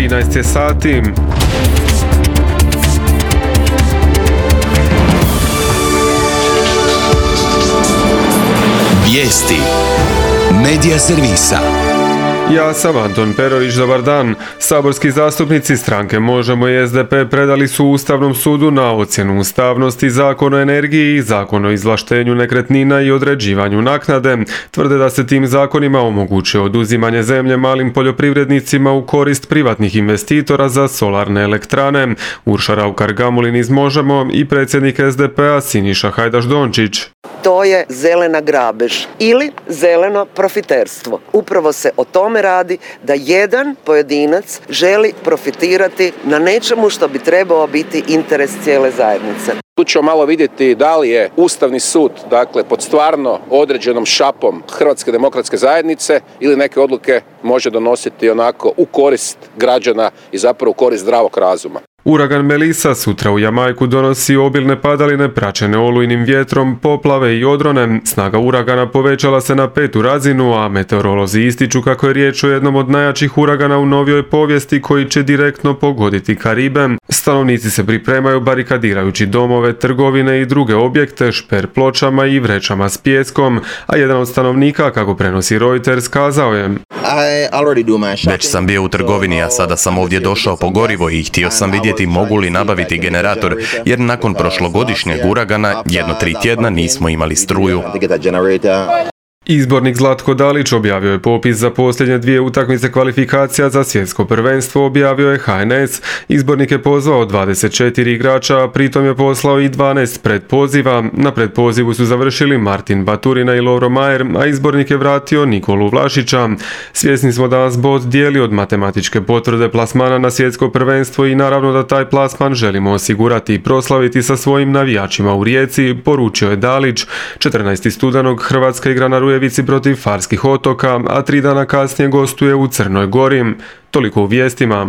13 je sati. Vijesti Medija servisa. Ja sam Anton Perović, dobar dan. Saborski zastupnici stranke Možemo i SDP predali su Ustavnom sudu na ocjenu ustavnosti Zakon o energiji i Zakon o izvlaštenju nekretnina i određivanju naknade. Tvrde da se tim zakonima omogućuje oduzimanje zemlje malim poljoprivrednicima u korist privatnih investitora za solarne elektrane. Urša Raukar-Gamulin iz Možemo i predsjednik SDP-a Siniša Hajdaš-Dončić. To je zelena grabež ili zeleno profiterstvo. Upravo se o tome radi, da jedan pojedinac želi profitirati na nečemu što bi trebao biti interes cijele zajednice. Tu ćemo malo vidjeti da li je Ustavni sud, pod stvarno određenom šapom Hrvatske demokratske zajednice ili neke odluke može donositi onako u korist građana i zapravo u korist zdravog razuma. Uragan Melissa sutra u Jamajku donosi obilne padaline praćene olujnim vjetrom, poplave i odrone. Snaga uragana povećala se na 5. razinu, a meteorolozi ističu kako je riječ o jednom od najjačih uragana u novijoj povijesti koji će direktno pogoditi Karibe. Stanovnici se pripremaju barikadirajući domove, trgovine i druge objekte šper pločama i vrećama s pijeskom, a jedan od stanovnika, kako prenosi Reuters, kazao je: Već sam bio u trgovini, a sada sam ovdje došao po gorivo i htio sam vidjeti mogu li nabaviti generator, jer nakon prošlogodišnjeg uragana 1-3 tjedna nismo imali struju. Izbornik Zlatko Dalić objavio je popis za posljednje 2 utakmice kvalifikacija za svjetsko prvenstvo, objavio je HNS. Izbornik je pozvao 24 igrača, a pritom je poslao i 12 predpoziva. Na predpozivu su završili Martin Baturina i Lovro Majer, a izbornik je vratio Nikolu Vlašića. Svjesni smo da nas bod dijeli od matematičke potvrde plasmana na svjetsko prvenstvo i naravno da taj plasman želimo osigurati i proslaviti sa svojim navijačima u Rijeci, poručio je Dalić. 14. studenog Hrvatska igra na Rujevici protiv Farskih otoka, a 3 dana kasnije gostuje u Crnoj Gori. Toliko u vijestima.